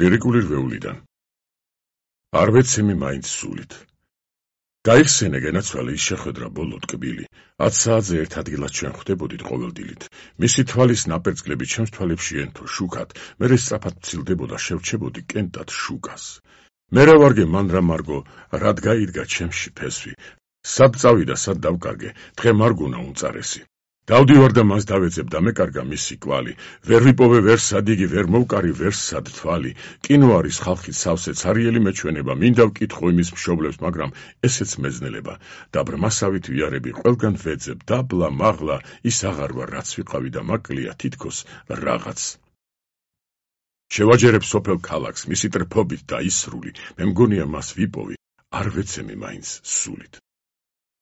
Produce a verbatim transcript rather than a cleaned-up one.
ლირიკული რვეულიდან. არ ვეცემი მაინც სულით. გაიხსენე გენაცვალე ის შეხვედრა ბოლო ტკბილი. ათ საათზე ერთ ადგილას ჩვენ ხვდებოდით ყოველდილით. მისი თვალის ნაპერწკლები ჩემს თვალებში ენთო შუქად, მერე სწრაფად მცილდებოდა შევჩებოდი კენტად შუქას. მე რა ვარგე მან რა მარგო, რად გაიდგა ჩემში ფესვი. სად წავიდა, სად დავკარგე, დღე მარგუნა უმწარესი. დავდივარ და მას დავეძებ და მეკარგა მისი კვალი. ვერ ვიპოვე ვერ სადიგი, ვერ მოვკარი ვერ სად თვალი. კინო არის ხალხის სავსე ცარიელი მეჩვენება, მინდა ვკითხო იმის მშობლებს, მაგრამ ესეც მეძნელება. და ბრმასავით ვიარები ყველგან ვეძებ, დაბლა მაღლა, ის აღარ ვარ რაც ვიყავი და მაკლია თითქოს რაღაც. შევაჯერებ სოფელ ქალაქს, მისი ტრფობით და ისრული, მე მგონია მას ვიპოვი, არ ვეცემი მაინც სულით.